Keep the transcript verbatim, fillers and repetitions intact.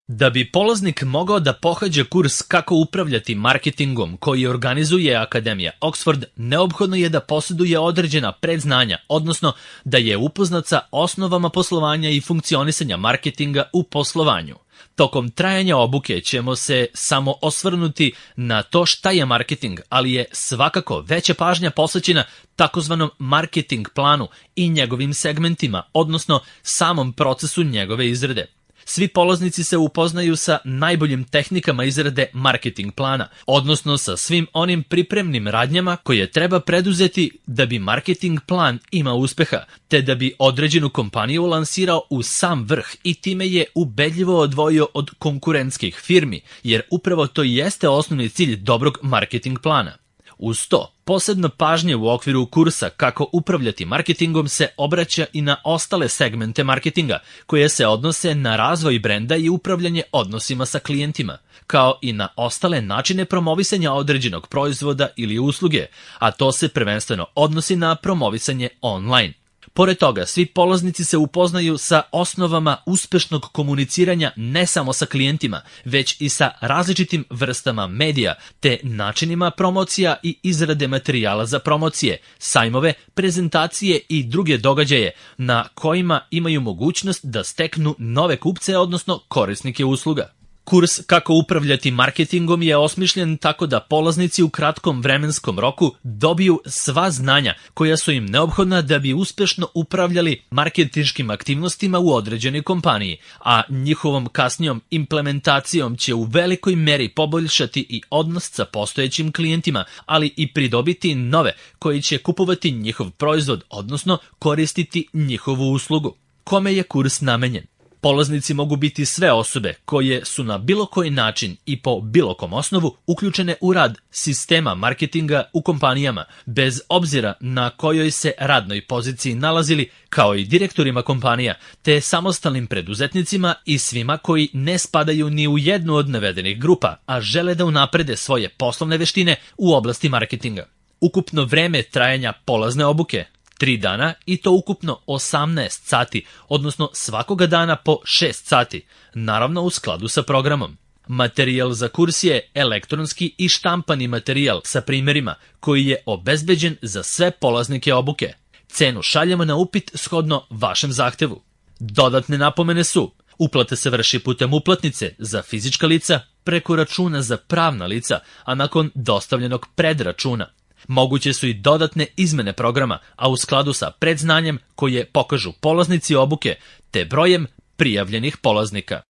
Da bi polaznik mogao da pohađa kurs kako upravljati marketingom koji organizuje Akademija Oxford, neophodno je da posjeduje određena predznanja, odnosno da je upoznat sa osnovama poslovanja i funkcionisanja marketinga u poslovanju. Tokom trajanja obuke ćemo se samo osvrnuti na to šta je marketing, ali je svakako veća pažnja posvećena takozvanom marketing planu i njegovim segmentima, odnosno samom procesu njegove izrade. Svi polaznici se upoznaju sa najboljim tehnikama izrade marketing plana, odnosno sa svim onim pripremnim radnjama koje treba preduzeti da bi marketing plan imao uspeha, te da bi određenu kompaniju lansirao u sam vrh i time je ubedljivo odvojio od konkurentskih firmi, jer upravo to jeste osnovni cilj dobrog marketing plana. Uz to, posebno pažnje u okviru kursa kako upravljati marketingom se obraća i na ostale segmente marketinga, koje se odnose na razvoj brenda i upravljanje odnosima sa klijentima, kao i na ostale načine promovisanja određenog proizvoda ili usluge, a to se prvenstveno odnosi na promovisanje online. Pored toga, svi polaznici se upoznaju sa osnovama uspešnog komuniciranja ne samo sa klijentima, već i sa različitim vrstama medija, te načinima promocija i izrade materijala za promocije, sajmove, prezentacije i druge događaje na kojima imaju mogućnost da steknu nove kupce, odnosno korisnike usluga. Kurs kako upravljati marketingom je osmišljen tako da polaznici u kratkom vremenskom roku dobiju sva znanja koja su im neophodna da bi uspešno upravljali marketinškim aktivnostima u određenoj kompaniji, a njihovom kasnijom implementacijom će u velikoj meri poboljšati i odnos sa postojećim klijentima, ali i pridobiti nove koji će kupovati njihov proizvod, odnosno koristiti njihovu uslugu. Kome je kurs namenjen? Polaznici mogu biti sve osobe koje su na bilo koji način i po bilo kom osnovu uključene u rad sistema marketinga u kompanijama, bez obzira na kojoj se radnoj poziciji nalazili, kao i direktorima kompanija, te samostalnim preduzetnicima i svima koji ne spadaju ni u jednu od navedenih grupa, a žele da unaprede svoje poslovne veštine u oblasti marketinga. Ukupno vreme trajanja polazne obuke tri dana i to ukupno osamnaest sati, odnosno svakoga dana po šest sati, naravno u skladu sa programom. Materijal za kurs je elektronski i štampani materijal sa primjerima koji je obezbeđen za sve polaznike obuke. Cenu šaljemo na upit shodno vašem zahtevu. Dodatne napomene su: uplata se vrši putem uplatnice za fizička lica, preko računa za pravna lica, a nakon dostavljenog predračuna. Moguće su i dodatne izmene programa, a u skladu sa predznanjem koje pokažu polaznici obuke te brojem prijavljenih polaznika.